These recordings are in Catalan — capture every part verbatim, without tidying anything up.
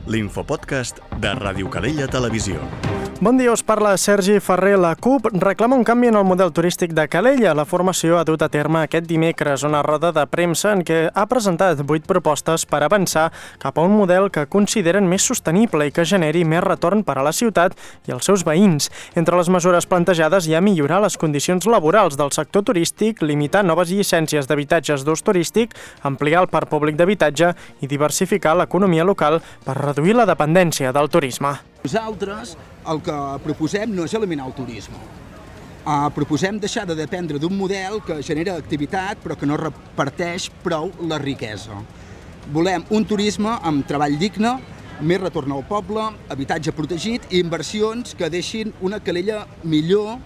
l'infopodcast de Ràdio Calella Televisió. Bon dia, us parla Sergi Ferrer. La CUP reclama un canvi en el model turístic de Calella. La formació ha dut a terme aquest dimecres una roda de premsa en què ha presentat vuit propostes per avançar cap a un model que consideren més sostenible i que generi més retorn per a la ciutat i els seus veïns. Entre les mesures plantejades hi ha millorar les condicions laborals del sector turístic, limitar noves llicències d'habitatges d'ús turístic, ampliar el parc públic d'habitatge i diversificar l'economia local per reduir la dependència del turisme. Nosaltres el que proposem no és eliminar el turisme. Uh, proposem deixar de dependre d'un model que genera activitat però que no reparteix prou la riquesa. Volem un turisme amb treball digne, més retorn al poble, habitatge protegit i inversions que deixin una Calella millor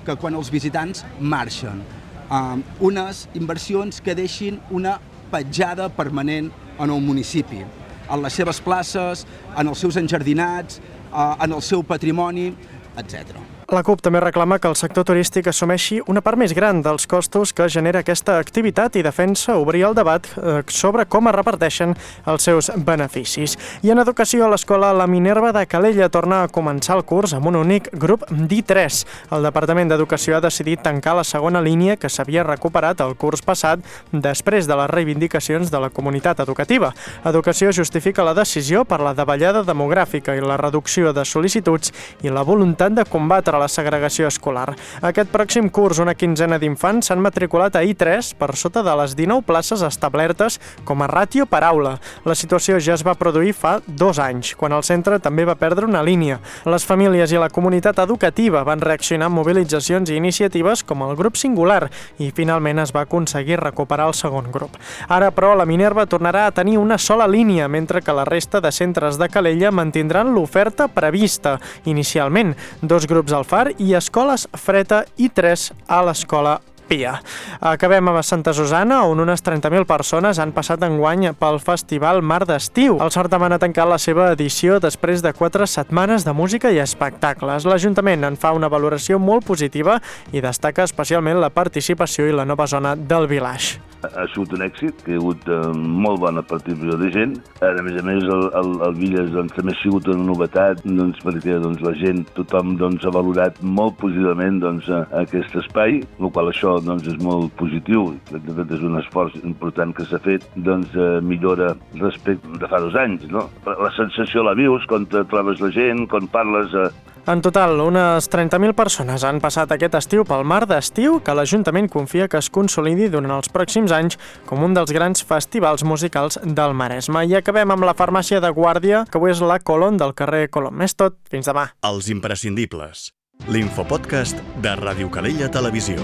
que quan els visitants marxen. Uh, unes inversions que deixin una petjada permanent en el municipi, en les seves places, en els seus enjardinats, en el seu patrimoni, etcètera. La CUP també reclama que el sector turístic assumeixi una part més gran dels costos que genera aquesta activitat i defensa obrir el debat sobre com es reparteixen els seus beneficis. I en educació, a l'escola La Minerva de Calella torna a començar el curs amb un únic grup d'I tres. El Departament d'Educació ha decidit tancar la segona línia que s'havia recuperat el curs passat després de les reivindicacions de la comunitat educativa. Educació justifica la decisió per la davallada demogràfica i la reducció de sol·licituds i la voluntat de combatre la segregació escolar. Aquest pròxim curs, una quinzena d'infants s'han matriculat a I tres per sota de les dinou places establertes com a ràtio per aula. La situació ja es va produir fa dos anys, quan el centre també va perdre una línia. Les famílies i la comunitat educativa van reaccionar amb mobilitzacions i iniciatives com el grup singular i finalment es va aconseguir recuperar el segon grup. Ara, però, la Minerva tornarà a tenir una sola línia, mentre que la resta de centres de Calella mantindran l'oferta prevista inicialment. Dos grups al Far i escoles Freta i tres a l'escola Pia. Acabem a Santa Susana, on unes trenta mil persones han passat enguany pel Festival Mar d'Estiu. El certamen ha tancat la seva edició després de quatre setmanes de música i espectacles. L'Ajuntament en fa una valoració molt positiva i destaca especialment la participació i la nova zona del Village. Ha sigut un èxit, que hi ha hagut eh, molt bona participació de gent. A més a més, el, el, el Villas doncs, també ha sigut una novetat, doncs, perquè doncs, la gent, tothom doncs, ha valorat molt positivament doncs, aquest espai, el qual això doncs, és molt positiu. De fet, és un esforç important que s'ha fet, doncs, eh, millora respecte de fa dos anys. No? La sensació la vius quan te trobes la gent, quan parles... Eh, En total, unes trenta mil persones han passat aquest estiu pel Mar d'Estiu, que l'Ajuntament confia que es consolidi durant els pròxims anys com un dels grans festivals musicals del Maresme. I acabem amb la farmàcia de Guàrdia, que avui és la Colón del carrer Colom. És tot, fins demà. Els imprescindibles. L'infopodcast de Ràdio Calella Televisió.